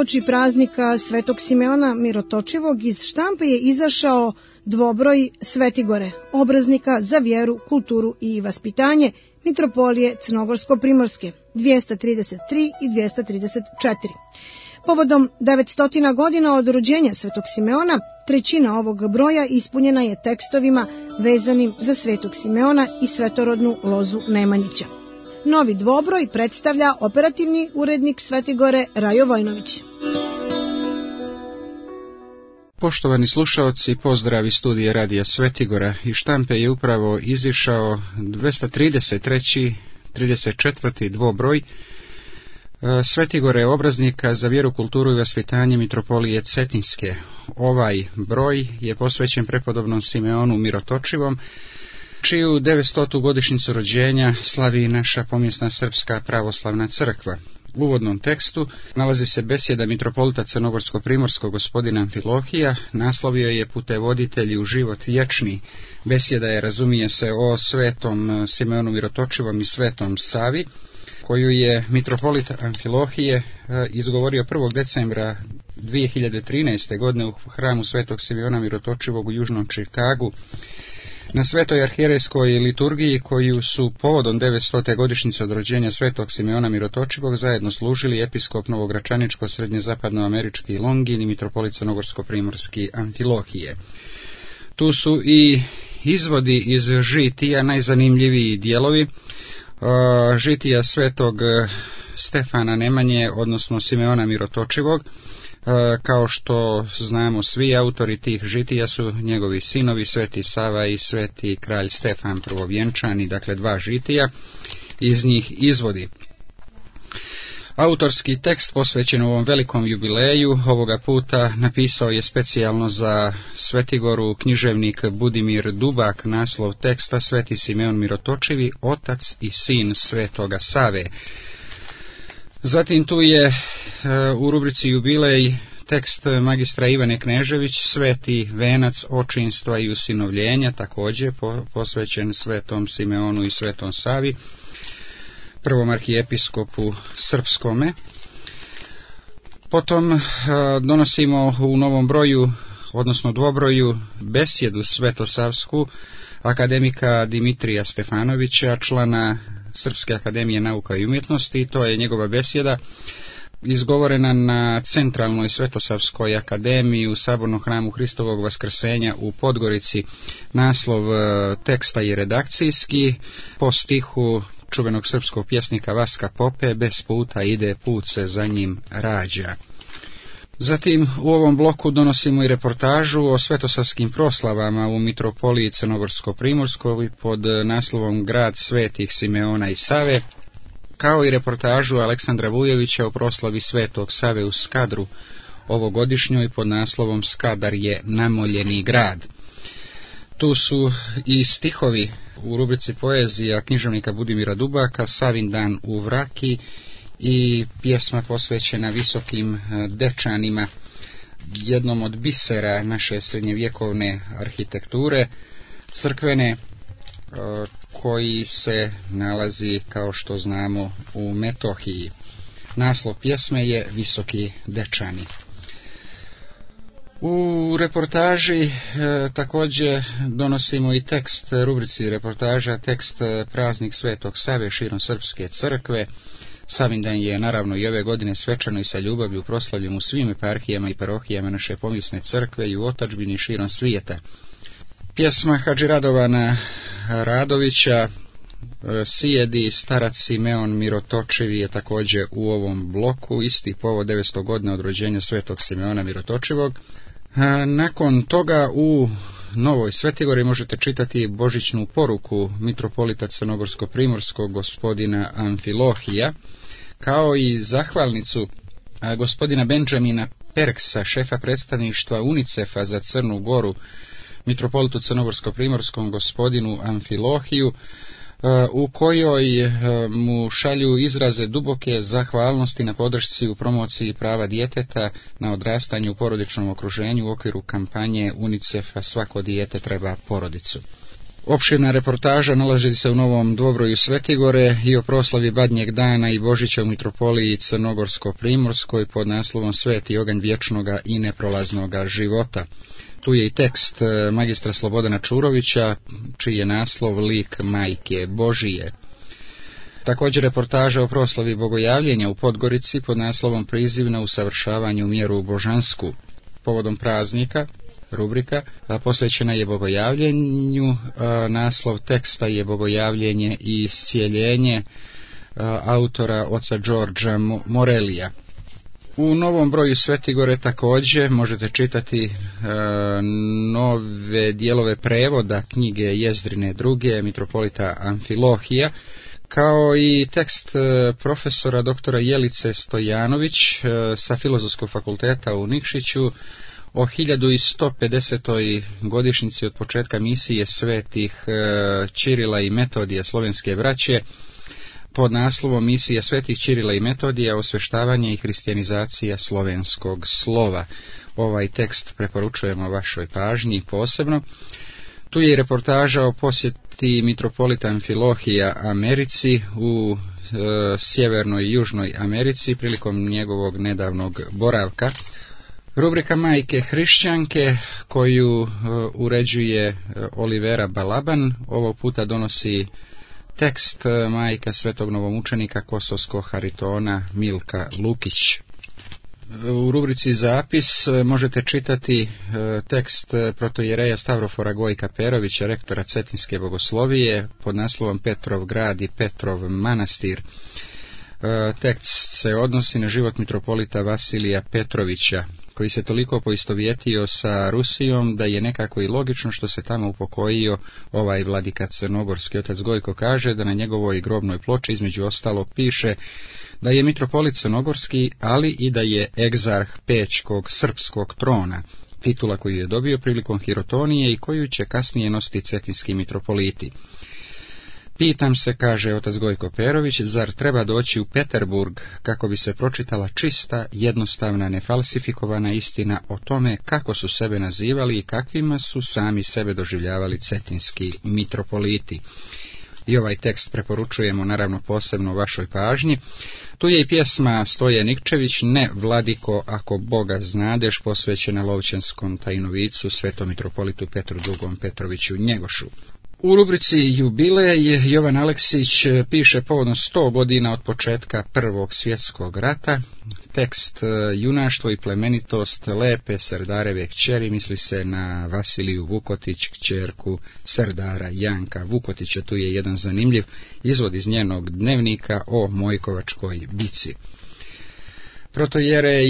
Uoči praznika Svetog Simeona Mirotočivog iz štampe je izašao dvobroj Svetigore, obraznika za vjeru, kulturu i vaspitanje Mitropolije Crnogorsko-Primorske 233 i 234. Povodom 900 godina od rođenja Svetog Simeona, trećina ovog broja ispunjena je tekstovima vezanim za Svetog Simeona i svetorodnu lozu Nemanjića. Novi dvobroj predstavlja operativni urednik Svetigore Rajo Vojnović. Poštovani slušaoci, pozdrav iz studija Radija Svetigora. Iz štampe je upravo izišao 233. 34. dvobroj Svetigore obraznika za vjeru, kulturu i vaspitanje Mitropolije Cetinske. Ovaj broj je posvećen prepodobnom Simeonu Mirotočivom, čiju 900. godišnjicu rođenja slavi naša pomjesna Srpska pravoslavna crkva. U uvodnom tekstu nalazi se besjeda mitropolita Crnogorsko-Primorskog gospodina Amfilohija, naslovio je Putevoditelji u život vječni. Besjeda je, razumije se, o svetom Simeonu Mirotočivom i svetom Savi, koju je mitropolit Amfilohije izgovorio 1. decembra 2013. godine u hramu svetog Simeona Mirotočivog u Južnom Čikagu, na svetoj arhijerejskoj liturgiji koju su povodom 900. godišnjice od rođenja svetog Simeona Mirotočivog zajedno služili episkop Novogračaničko-srednjezapadnoamerički Longin i mitropolit Crnogorsko-Primorski Amfilohije. Tu su i izvodi iz žitija, najzanimljiviji dijelovi žitija svetog Stefana Nemanje, odnosno Simeona Mirotočivog. Kao što znamo, svi autori tih žitija su njegovi sinovi, sveti Sava i sveti kralj Stefan prvovjenčani, dakle dva žitija, iz njih izvodi. Autorski tekst posvećen ovom velikom jubileju ovoga puta napisao je specijalno za Svetigoru književnik Budimir Dubak, naslov teksta Sveti Simeon Mirotočivi, otac i sin svetoga Save. Zatim tu je u rubrici jubilej tekst magistra Ivane Knežević, sveti venac očinstva i usinovljenja, također posvećen svetom Simeonu i svetom Savi, prvom arhijepiskopu srpskome. Potom donosimo u novom broju, odnosno dvobroju, besjedu svetosavsku akademika Dimitrija Stefanovića, člana Srpske akademije nauka i umjetnosti. To je njegova besjeda izgovorena na Centralnoj Svetosavskoj akademiji u Sabornom hramu Hristovog vaskrsenja u Podgorici. Naslov teksta je redakcijski, po stihu čuvenog srpskog pjesnika Vaska Pope, bez puta ide, put se za njim rađa. Zatim u ovom bloku donosimo i reportažu o svetosavskim proslavama u mitropoliji Crnogorsko-Primorskoj pod naslovom Grad svetih Simeona i Save, kao i reportažu Aleksandra Vujevića o proslavi svetog Save u Skadru ovogodišnjoj pod naslovom Skadar je namoljeni grad. Tu su i stihovi u rubrici poezija književnika Budimira Dubaka, Savin dan u Vraki, i pjesma posvećena visokim Dečanima, jednom od bisera naše srednjevjekovne arhitekture crkvene, koji se nalazi, kao što znamo, u Metohiji. Naslov pjesme je Visoki Dečani. U reportaži također donosimo i tekst, rubrici reportaža, tekst Praznik svetog Save širom Srpske crkve. Savindan je naravno i ove godine svečano i sa ljubavlju proslavljen u svim eparhijama i parohijama naše pomjesne crkve i u otadžbini širom svijeta. Pjesma Hadži Radovana Radovića Sijedi starac Simeon Mirotočivi je također u ovom bloku, isti povod 900 godina od rođenja svetog Simeona Mirotočivog. Nakon toga u Novoj Svetigori možete čitati božićnu poruku mitropolita Crnogorsko-Primorskog gospodina Amfilohija, kao i zahvalnicu gospodina Benjamina Perksa, šefa predstavništva UNICEF-a za Crnu Goru, mitropolitu Crnogorsko-Primorskom gospodinu Amfilohiju, u kojoj mu šalju izraze duboke zahvalnosti na podršci u promociji prava djeteta na odrastanju u porodičnom okruženju u okviru kampanje UNICEF-a Svako dijete treba porodicu. Opširna reportaža nalazi se u Novom Dvobroju Svetigore i o proslavi Badnjeg dana i Božića u mitropoliji Crnogorsko-Primorskoj pod naslovom Sveti oganj vječnoga i neprolaznoga života. Tu je i tekst magistra Slobodana Čurovića, čiji je naslov Lik Majke Božije. Također reportaža o proslavi Bogojavljenja u Podgorici pod naslovom Priziv na usavršavanju mjeru božansku. Povodom praznika, rubrika posvećena je Bogojavljenju, naslov teksta je Bogojavljenje i iscijeljenje, autora oca Đorđa Morelija. U Novom Broju Svetigore također možete čitati nove dijelove prevoda knjige Jezdrine druge, mitropolita Amfilohija, kao i tekst profesora doktora Jelice Stojanović sa Filozofskog fakulteta u Nikšiću o 1150. godišnjici od početka misije svetih Ćirila i Metodija slovenske braće pod naslovom Misija svetih Ćirila i Metodija, osveštavanje i hristijanizacija slovenskog slova. Ovaj tekst preporučujemo vašoj pažnji posebno. Tu je i reportaža o posjeti mitropolita Amfilohija Americi u Sjevernoj i Južnoj Americi prilikom njegovog nedavnog boravka. Rubrika Majke hrišćanke koju uređuje Olivera Balaban ovog puta donosi tekst majka svetog novomučenika kosovskog Haritona Milka Lukić. U rubrici Zapis možete čitati tekst protojereja Stavrofora Gojka Perovića, rektora Cetinske bogoslovije, pod naslovom Petrov grad i Petrov manastir. Tekst se odnosi na život mitropolita Vasilija Petrovića, koji se toliko poistovjetio sa Rusijom da je nekako i logično što se tamo upokojio ovaj vladika crnogorski. Otac Gojko kaže da na njegovoj grobnoj ploči između ostalog piše da je mitropolit crnogorski, ali i da je egzarh Pečkog srpskog trona, titula koju je dobio prilikom hirotonije i koju će kasnije nositi cetinski mitropoliti. Pitam se, kaže otac Gojko Perović, zar treba doći u Peterburg kako bi se pročitala čista, jednostavna, nefalsifikovana istina o tome kako su sebe nazivali i kakvima su sami sebe doživljavali cetinski mitropoliti. I ovaj tekst preporučujemo naravno posebno vašoj pažnji. Tu je i pjesma Stoje Nikčević, Ne vladiko ako Boga znadeš, posvećena Lovćanskom tajnovicu svetom mitropolitu Petru II. Petroviću Njegošu. U rubrici Jubilej Jovan Aleksić piše povodom 100 godina od početka Prvog svjetskog rata. Tekst Junaštvo i plemenitost lepe Serdareve kćeri, misli se na Vasiliju Vukotić, kćerku Serdara Janka Vukotića. Tu je jedan zanimljiv izvod iz njenog dnevnika o Mojkovačkoj bici. Protojerej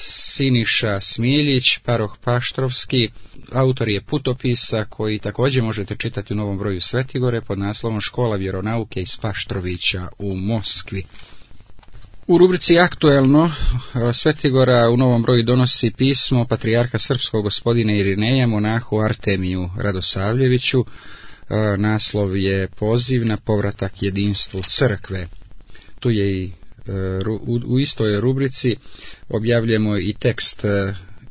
Siniša Smiljić, paroh Paštrovski, autor je putopisa koji također možete čitati u Novom Broju Svetigore pod naslovom Škola vjeronauke iz Paštrovića u Moskvi. U rubrici Aktuelno Svetigora u Novom Broju donosi pismo patrijarha srpskog gospodina Irineja monahu Artemiju Radosavljeviću. Naslov je Poziv na povratak jedinstvu crkve. Tu je i u istoj rubrici objavljujemo i tekst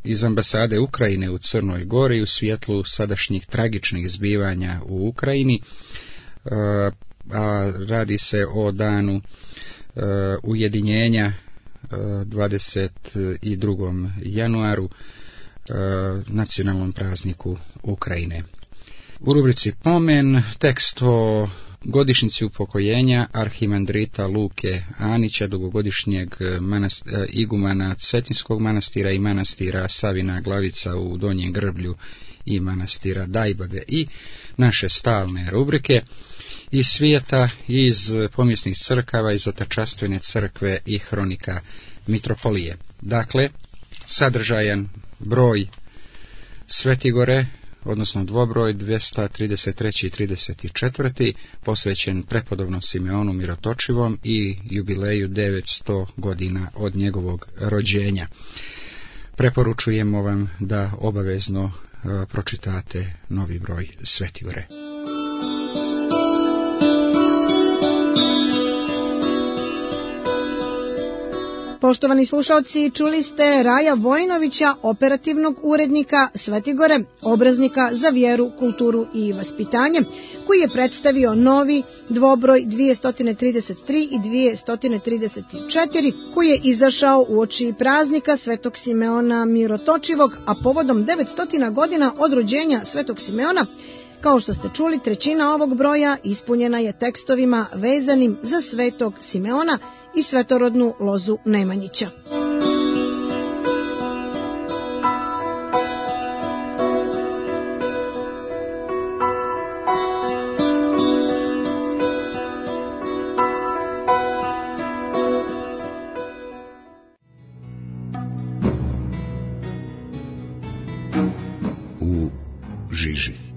iz ambasade Ukrajine u Crnoj Gori u svjetlu sadašnjih tragičnih zbivanja u Ukrajini, a radi se o danu ujedinjenja 22. januaru, nacionalnom prazniku Ukrajine. U rubrici Pomen tekst o godišnjici upokojenja arhimandrita Luke Anića, dugogodišnjeg igumana Cetinskog manastira i manastira Savina Glavica u Donjem Grblju i manastira Dajbave, i naše stalne rubrike iz svijeta, iz pomjesnih crkava, iz Otačastvene crkve i hronika mitropolije. Dakle, sadržajan broj Svetigore, odnosno dvobroj 233. i 34. posvećen prepodobnom Simeonu Mirotočivom i jubileju 900 godina od njegovog rođenja. Preporučujemo vam da obavezno pročitate novi broj Svetigore. Poštovani slušalci, čuli ste Raja Vojinovića, operativnog urednika Svetigore, obraznika za vjeru, kulturu i vaspitanje, koji je predstavio novi dvobroj 233 i 234, koji je izašao uoči praznika Svetog Simeona Mirotočivog, a povodom 900 godina od rođenja Svetog Simeona. Kao što ste čuli, trećina ovog broja ispunjena je tekstovima vezanim za Svetog Simeona i svetorodnu lozu Nemanjića. U žiži.